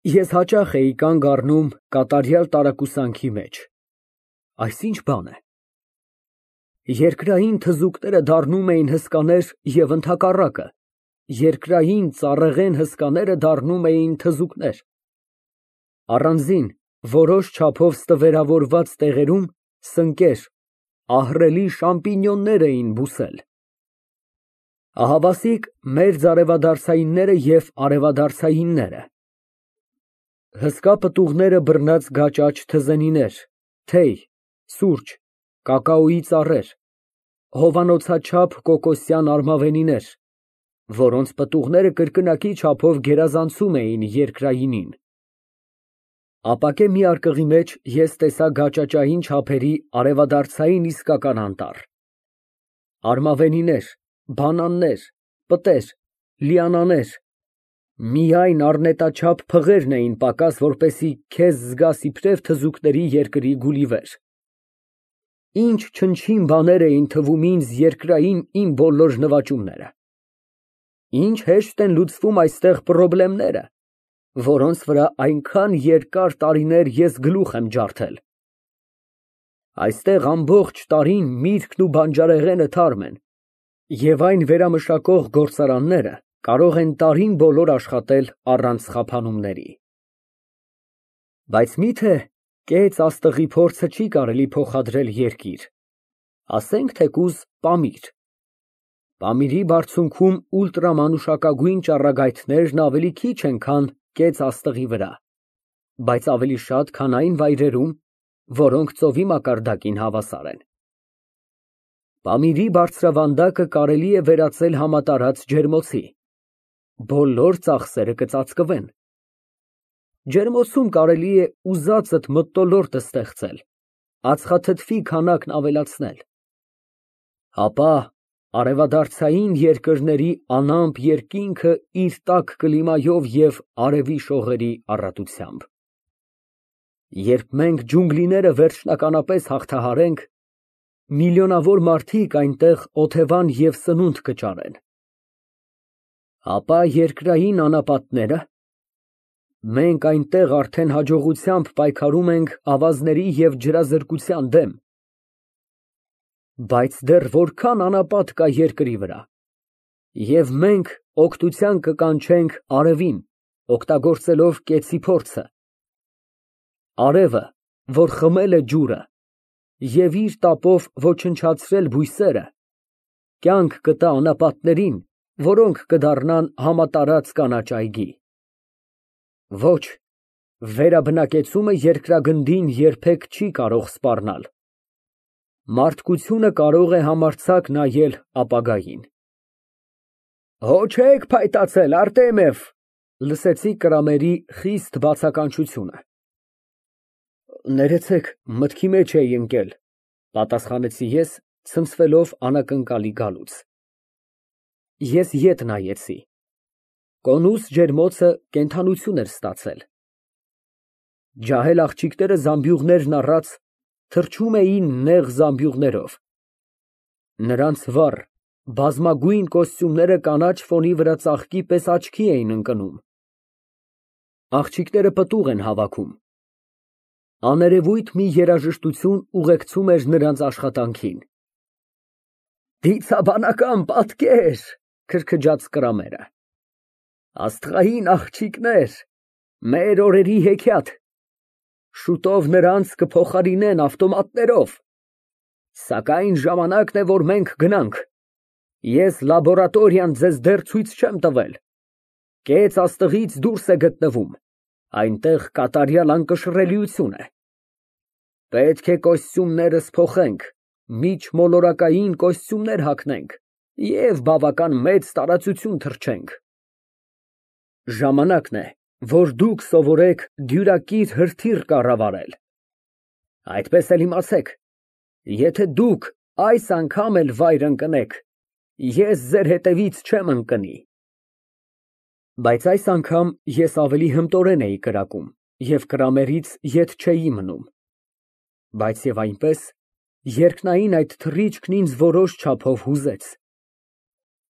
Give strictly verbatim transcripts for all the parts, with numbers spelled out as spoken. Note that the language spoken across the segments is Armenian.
Ես հաճախ էի կանգ առնում կատարյալ տարակուսանքի մեջ, այս ի՞նչ բան է։ Երկրային թզուկները դառնում էին հսկաներ և ընդհակառակը, երկրային ծառեղեն հսկաները դառնում էին թզուկներ։ Առանձին, որոշ չափով ստվերավորված տեղերում սնկեր, ահռելի շամպինյոններ էին բուսել։ Ահավասիկ մերձարևադարձայինները և արևադարձայինները։ Հսկա պտուղները բռնած գաճաճ թզենիներ, թեյ, սուրճ, կակաոյի ծառեր, հովանոցաչափ կոկոսյան արմավենիներ, որոնց պտուղները կրկնակի չափով գերազանցում էին երկրայինին։ Ապակե մի արկղի մեջ ես տեսա գաճաճային չափերի արևադարձային իսկական անտառ։ Արմավենիներ, բանաններ, պտեր, լիանաներ, միայն առնետաչափ փղերն էին պակաս, որպեսզի քեզ զգաս իբրև թզուկների երկրի Գուլիվեր։ Ինչ չնչին բաներ էին թվում ինձ երկրային իմ բոլոր նվաճումները։ Ինչ հեշտ են լուծվում այստեղ պրոբլեմները, որոնց վրա այնքան երկար տարիներ ես գլուխ եմ ջարդել։ Այստեղ ամբողջ տարին միրգն ու բանջարեղենը թարմ են, և այն վերամշակող գործարանները կարող են տարին բոլոր աշխատել առանց խափանումների։ Բայց մի՞թե կեծ աստղի փորձը չի կարելի փոխադրել երկիր, ասենք թեկուզ Պամիր։ Պամիրի բարձունքում ուլտրամանուշակագույն ճառագայթներն ավելի քիչ են, քան կեծ աստղի վրա, բայց ավելի շատ, քան այն վայրերում, որոնք ծովի մակարդակին հավասար են։ Պամիրի բարձրավանդակը կարելի է վերածել համատարած ջերմոցի, բոլոր ծախսերը կծածկվեն։ Ջերմոցում կարելի է ուզածդ մթնոլորտ ստեղծել, ածխաթթվի քանակն ավելացնել, ապա արևադարձային երկրների անամպ երկինքը իր տաք կլիմայով և արևի շողերի առատությամբ։ Երբ մենք ջունգլիները վերջնականապես հաղթահարենք, միլիոնավոր մարդիկ այնտեղ օթևան և սնունդ կճարեն։ Ապա երկրային անապատները, մենք այնտեղ արդեն հաջողությամբ պայքարում ենք ավազների և ջրազրկության դեմ, բայց դեռ որքան անապատ կա երկրի վրա, և մենք օգնության կկանչենք արևին, օգտագործելով կեցի փորձը։ Արևը, որ խմել է ջուրը և իր տապով ոչնչացրել բույսերը, կյանք կտա անապատներին, որոնք կդառնան համատարած կանաչ այգի։ Ոչ, վերաբնակեցումը երկրագնդին երբեք չի կարող սպառնալ։ Մարդկությունը կարող է համարձակ նայել ապագային։ Հո չեք փայտացել, Արտեմիև, լսեցի Կրամերի խիստ բացականչությունը։ Ներեցեք, մտքի մեջ էի ընկել, պատասխանեցի ես, ցնցվելով անակնկալի գալուց։ Ես ետ նայեցի։ Կոնուս ջերմոցը կենդանություն էր ստացել։ Ջահել աղջիկները զամբյուղներն առած թռչում էին նեղ զամբյուղներով։ Նրանց վառ, բազմագույն կոստյումները կանաչ ֆոնի վրա ծաղկի պես աչքի էին ընկնում։ Աղջիկները պտուղ են հավաքում։ Աներևույթ մի երաժշտություն ուղեկցում էր նրանց աշխատանքին։ Դիցաբանական պատկեր, քրքջաց Կրամերը։ Աստղային աղջիկներ, մեր օրերի հեքիաթ, շուտով նրանց կփոխարինեն ավտոմատներով, սակայն ժամանակն է, որ մենք գնանք, ես լաբորատորիան ձեզ դեռ ցույց չեմ տվել, կեծ աստղից դուրս է գտնվում, այնտեղ կատարյալ անկշռելիություն է, պետք է կոստյումներս փոխենք, միջմոլորակային կոստյումներ հագնենք և բավական մեծ տարածություն թռչենք։ Ժամանակն է, որ դուք սովորեք դյուրակիր հրթիռ կառավարել։ Այդպես էլ իմացեք, եթե դուք այս անգամ էլ վայր ընկնեք, ես ձեր հետևից չեմ ընկնի։ Բայց այս անգամ ես ավելի հմտորեն էի կրակում և Կրամերից ետ չէի մնում։ Բայց և այնպես, երկնային այդ թռիչքն ինձ որոշ չափով հուզեց։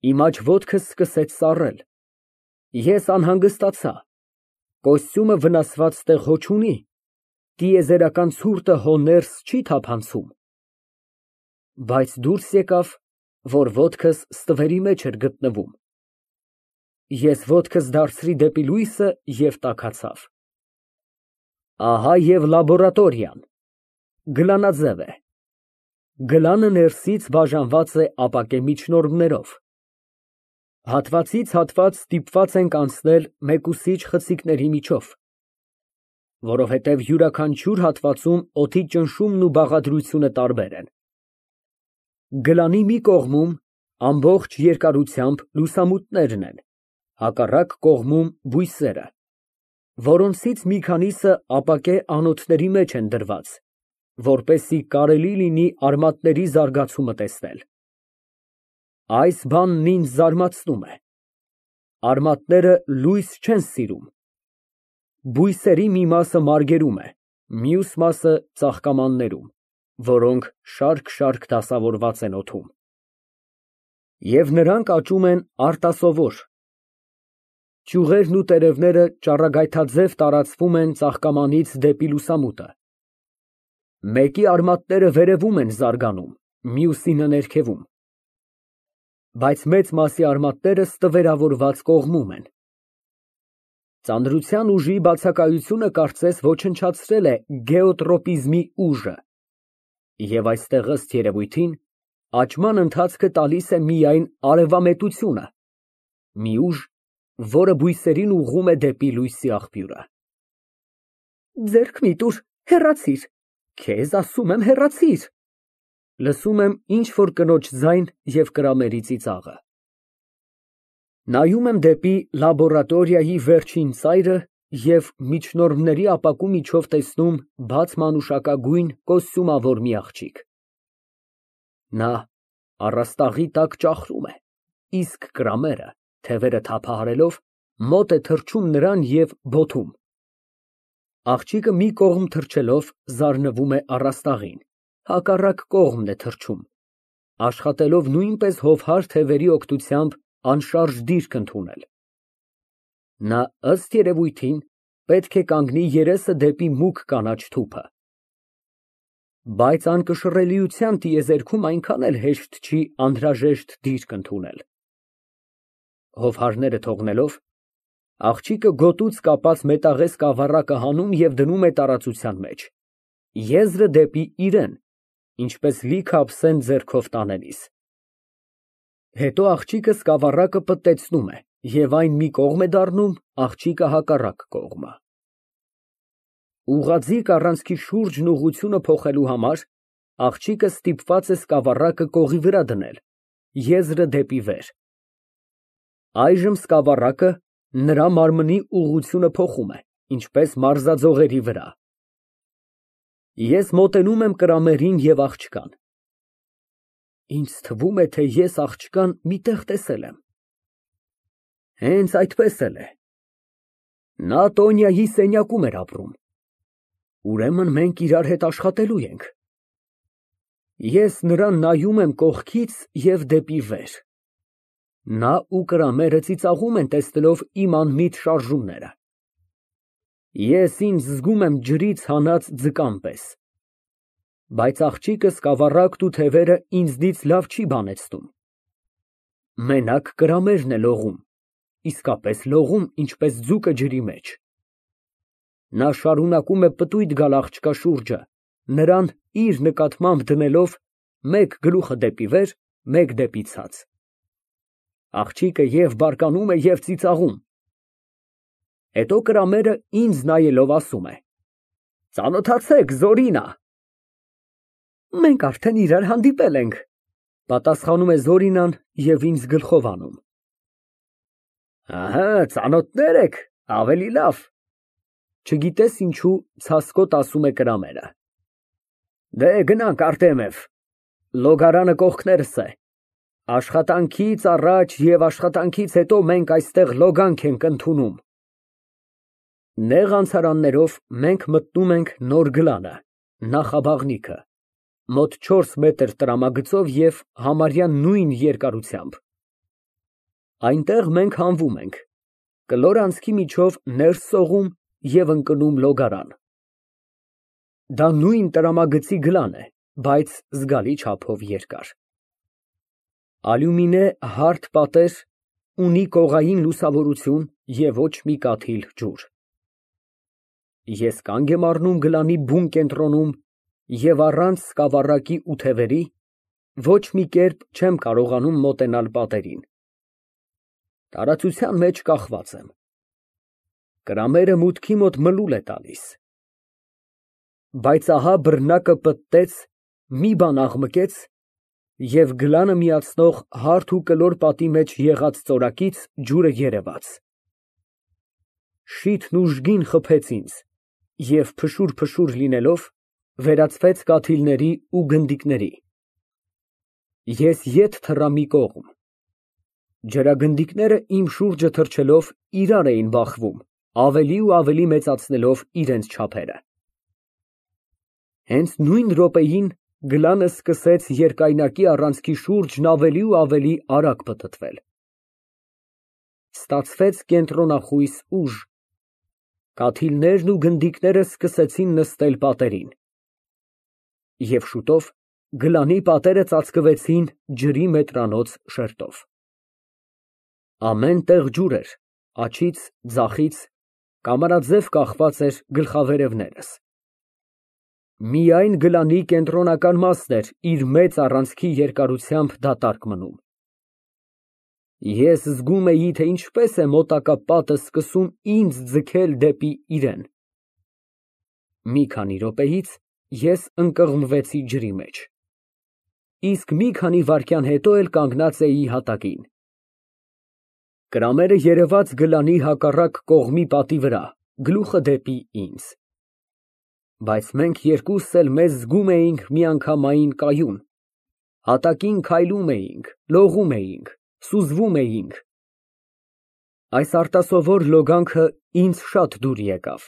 Իմ աջ ոտքս սկսեց սառել։ Ես անհանգստացա։ Կոստյումը վնասված տեղ հո չունի, տիեզերական ցուրտը հո ներս չի թափանցում։ Բայց դուրս եկավ, որ ոտքս ստվերի մեջ էր գտնվում։ Ես ոտքս դարձրի դեպի լույսը և տաքացավ։ Ահա և լաբորատորիան, գլանաձև է։ Գլանը ներսից բաժանված է ապակե միջնորմներով։ Հատվածից հատված ստիպված ենք անցնել մեկուսիչ խցիկների միջով, որովհետև յուրաքանչյուր հատվածում օդի ճնշումն ու բաղադրությունը տարբեր են։ Գլանի մի կողմում ամբողջ երկարությամբ լուսամուտներն են, հակառակ կողմում բույսերը, որոնցից մի քանիսը ապակե անոթների մեջ են դրված, որպեսզի կարելի լինի արմատների զարգացումը տեսնել։ Այս բանն ինձ զարմացնում է։ Արմատները լույս չեն սիրում։ Բույսերի մի մասը մարգերում է, մյուս մասը ծաղկամաններում, որոնք շարք֊շարք դասավորված են օդում։ Եվ նրանք աճում են արտասովոր։ Ճյուղերն ու տերևները ճառագայթաձև տարածվում են ծաղկամանից դեպի լուսամուտը։ Մեկի արմատները վերևում են զարգանում, մյուսինը ներքևում, բայց մեծ մասի արմատները ստվերավորված կողմում են։ Ծանրության ուժի բացակայությունը կարծես ոչնչացրել է գեոտրոպիզմի ուժը, և այստեղ ըստ երևույթին աճման ընթացքը տալիս է միայն արևամետությունը, մի ուժ, որը բույսերին ուղղում է դեպի լույսի աղբյուրը։ Ձեռք մի տուր, հեռացիր, քեզ ասում եմ հեռացիր։ Լսում եմ ինչ֊որ կնոջ ձայն և կրամերի ծիծաղը։ Նայում եմ դեպի լաբորատորիայի վերջին ծայրը և միջնորմների ապակու միջով տեսնում բաց մանուշակագույն կոստյումավոր մի աղջիկ։ Նա առաստաղի տակ ճախրում է, իսկ կրամերը, թևերը թափահարելով, մոտ է թռչում նրան և բոթում։ Աղջիկը մի կողմ թռչելով զարնվում է առաստաղին, հակառակ կողմն է թռչում, աշխատելով նույնպես հովհար թևերի օգնությամբ անշարժ դիրք ընդունել։ Նա, ըստ երևույթին, պետք է կանգնի երեսը դեպի մուգ կանաչ թուփը։ Բայց անկշռելիության տիեզերքում այնքան էլ հեշտ չի անհրաժեշտ դիրք ընդունել։ Հովհարները թողնելով, աղջիկը գոտուց կապած մետաղե սկավառակը հանում և դնում է տարածության մեջ, եզրը դեպի իրեն, ինչպես լիքը ափսեն ձեռքով տանելիս։ Հետո աղջիկը սկավառակը պտտեցնում է, և այն մի կողմ է դառնում, աղջիկը հակառակ կողմը։ Ուղղաձիգ առանցքի շուրջն ուղղությունը փոխելու համար աղջիկը ստիպված է սկավառակը կողի վրա դնել, եզրը դեպի վեր։ Այժմ սկավառակը նրա մարմնի ուղղությունը փոխում է, ինչպես մարզաձողերի վրա։ Ես մոտենում եմ կրամերին և աղջկան։ Ինձ թվում է, թե ես աղջկան մի տեղ տեսել եմ։ Հենց այդպես էլ է։ Նա Տոնյայի սենյակում էր ապրում։ Ուրեմն մենք իրար հետ աշխատելու ենք։ Ես նրան նայում եմ կողքից և դեպի վեր։ Նա ու կրամերը ծիծաղում են, տեսնելով իմ անմիտ շարժումները։ Ես ինձ զգում եմ ջրից հանած ձկան պես։ Բայց աղջիկը սկավառակն ու թևերը ինձնից լավ չի բանեցնում։ Մենակ կրամերն է լողում, իսկապես լողում, ինչպես ձուկը ջրի մեջ։ Նա շարունակում է պտույտ գալ աղջկա շուրջը, նրան իր նկատմամբ դնելով մեկ գլուխը դեպի վեր, մեկ դեպի ցած։ Աղջիկը և բարկանում է, և ծիծաղում։ Հետո կրամերը ինձ նայելով ասում է. Ծանոթացեք, Զորինա։ Մենք արդեն իրար հանդիպել ենք, պատասխանում է Զորինան և ինձ գլխով անում։ Ահա, ծանոթներ եք, ավելի լավ։ Չգիտես ինչու ցասկոտ ասում է կրամերը։ Դե գնանք, Արտեմև, լոգարանը կողքներս է։ Աշխատանքից առաջ և աշխատանքից հետո մենք այստեղ լոգանք ենք ընդունում։ Նեղ անցարաններով մենք մտնում ենք նոր գլանը, նախաբաղնիքը, մոտ չորս մետր տրամագծով և համարյա նույն երկարությամբ։ Այնտեղ մենք հանվում ենք։ Կլոր անցքի միջով ներս սողում և ընկնում լոգարան։ Դա նույն տրամագծի գլան է, բայց զգալի չափով երկար։ Ալյումինե հարթ պատեր, ունի կողային լուսավորություն և ոչ մի կաթիլ ջուր։ Ես կանգ եմ առնում գլանի բուն կենտրոնում և առանց սկավառակի ու թևերի ոչ մի կերպ չեմ կարողանում մոտենալ պատերին։ Տարածության մեջ կախված եմ։ Կրամերը մուտքի մոտ մլուլ է տալիս։ Բայց ահա բռնակը պտտեց, մի բան աղմկեց և գլանը միացնող հարթ ու կլոր պատի մեջ եղած ծորակից ջուրը երևաց։ Շիթն ուժգին խփեց ինձ և փշուր֊փշուր լինելով, վերածվեց կաթիլների ու գնդիկների։ Ես ետ թռա մի կողմ։ Ջրագնդիկները իմ շուրջը թռչելով իրար էին բախվում, ավելի ու ավելի մեծացնելով իրենց չափերը։ Հենց նույն րոպեին գլանը սկսեց երկայնակի առանցքի շուրջն ավելի ու ավելի արագ պտտվել։ Ստացվեց կենտրոնախույս ուժ։ Կաթիլներն ու գնդիկները սկսեցին նստել պատերին։ Եվ շուտով գլանի պատերը ծածկվեցին ջրի մետրանոց շերտով։ Ամեն տեղ ջուր էր, աջից, ձախից, կամարաձև կախված էր գլխավերևներս։ Միայն գլանի կենտրոնական մասն էր իր մեծ առանցքի երկարությամբ դատարկ մնում։ Ես զգում էի, թե ինչպես է մոտակա պատը սկսում ինձ ձգել դեպի իրեն։ Մի քանի րոպեից ես ընկղմվեցի ջրի մեջ, իսկ մի քանի վայրկյան հետո էլ կանգնած էի հատակին։ Կրամերը երևաց գլանի հակառակ կողմի պատի վրա, գլուխը դեպի ինձ։ Բայց մենք երկուսս էլ մեզ զգում էինք միանգամայն կայուն, հատակին քայլում էինք, լողում էինք, սուզվում էինք։ Այս արտասովոր լոգանքը ինձ շատ դուր եկավ։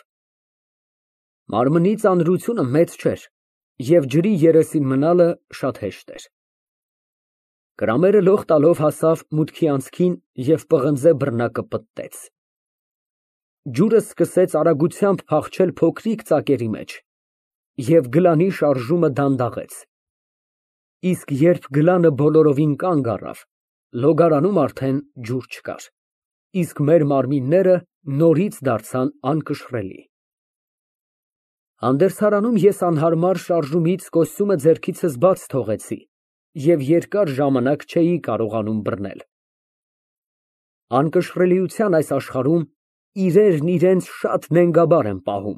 Մարմնի ծանրությունը մեծ չէր, և ջրի երեսին մնալը շատ հեշտ էր։ Կրամերը լող տալով հասավ մուտքի անցքին և պղնձե բռնակը պտտեց։ Ջուրը սկսեց արագությամբ փախչել փոքրիկ ծակերի մեջ, և գլանի շարժումը դանդաղեց։ Իսկ երբ գլանը բոլորովին կանգ առավ, լոգարանում արդեն ջուր չկար, իսկ մեր մարմինները նորից դարձան անկշռելի։ Հանդերձարանում ես անհարմար շարժումից կոստյումը ձեռքիցս բաց թողեցի և երկար ժամանակ չէի կարողանում բռնել։ Անկշռելիության այս աշխարհում իրերն իրենց շատ նենգաբար են պահում։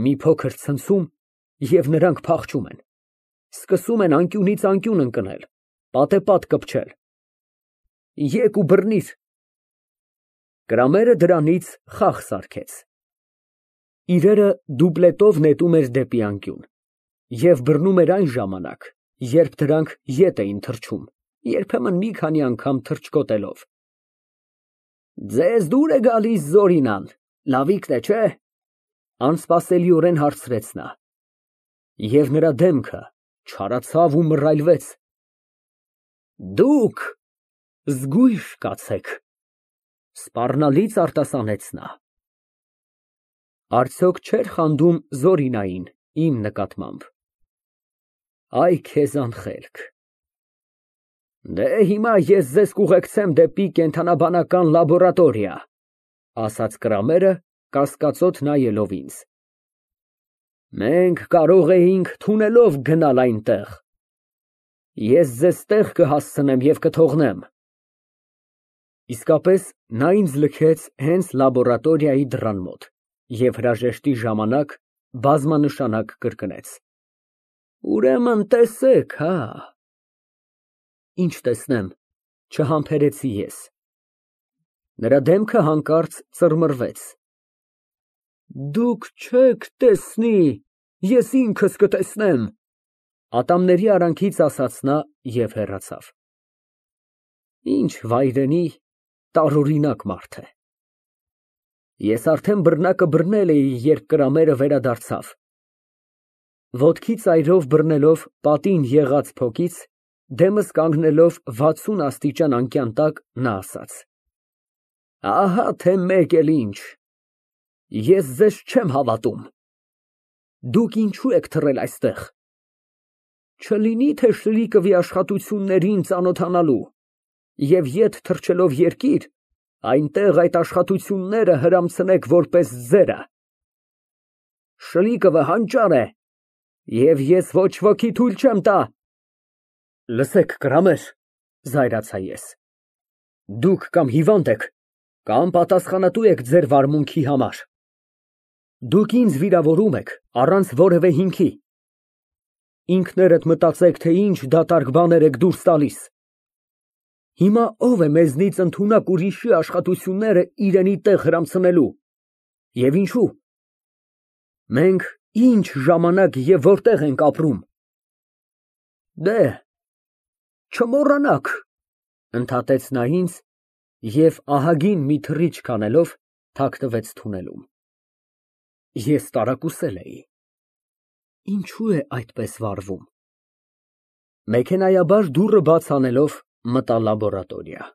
Մի փոքր ցնցում, և նրանք փախչում են, սկսում են անկյունից անկյուն ընկնել, պատեպատ կպչել։ Եկ ու բռնիր։ Կրամերը դրանից խաղ սարքեց։ Իրերը դուպլետով նետում էր դեպի անկյուն և բռնում էր այն ժամանակ, երբ դրանք ետ էին թռչում, երբեմն մի քանի անգամ թռչկոտելով։ Ձեզ դուր է գալիս Զորինան, լավիկն է, չէ՞, անսպասելիորեն հարցրեց նա։ Եվ նրա դեմքը չարացավ ու մռայլվեց։ Դուք զգույշ կացեք, սպառնալից արտասանեց նա։ Արդյոք չէր խանդում Զորինային իմ նկատմամբ։ Այ քեզ անխելք։ Դե հիմա ես ձեզ կուղեկցեմ դեպի կենդանաբանական լաբորատորիա, ասաց Կրամերը, կասկածոտ նայելով ինձ։ Մենք կարող էինք թունելով գնալ այնտեղ։ Ես ձեզ տեղ կհասցնեմ և կթողնեմ։ Իսկապես, նա ինձ լքեց հենց լաբորատորիայի դռան մոտ և հրաժեշտի ժամանակ բազմանշանակ կրկնեց. Ուրեմն տեսեք, հա։ Ինչ տեսնեմ, չհամբերեցի ես։ Նրա դեմքը հանկարծ ծռմռվեց։ Դուք չեք տեսնի, ես ինքս կտեսնեմ, ատամների արանքից ասաց նա և հեռացավ։ Ինչ վայրենի, տարօրինակ մարդ է։ Ես արդեն բռնակը բռնել էի, երբ Կրամերը վերադարձավ։ Ոտքի ծայրով բռնելով պատին եղած փոքից, դեմս կանգնելով վաթսուն աստիճան անկյան տակ, նա ասաց. Ահա թե մեկ էլ ինչ, ես ձեզ չեմ հավատում, դուք ինչո՞ւ եք թռել այստեղ, չլինի թե Շլիկովի աշխատություններին ծանոթանալու և ետ թռչելով երկիր, այնտեղ այդ աշխատությունները հրամցնեք որպես ձերը։ Շլիկովը հանճար է, և ես ոչ ոքի թույլ չեմ տա։ Լսեք, կրամեր, զայրացա ես, դուք կամ հիվանդ եք, կամ պատասխանատու եք ձեր վարմունքի համար։ Դուք ինձ վիրավորում եք առանց որևէ հիմքի։ Ինքներդ մտածեք, թե ինչ դատարկ բաներ եք դուրս տալիս։ Հիմա ո՞վ է մեզնից ընդունակ ուրիշի աշխատությունները իրենի տեղ հրամցնելու, և ինչո՞ւ։ Մենք ինչ ժամանակ և որտեղ ենք ապրում։ Դեհ, չմոռանաք, ընդհատեց նա ինձ և ահագին մի թռիչք անելով թաքնվեց թունելում։ Ես տարակուսել էի։ Ինչո՞ւ է այդպես վարվում։ Մեքենայաբար դուռը բաց անելով մտա լաբորատորիա։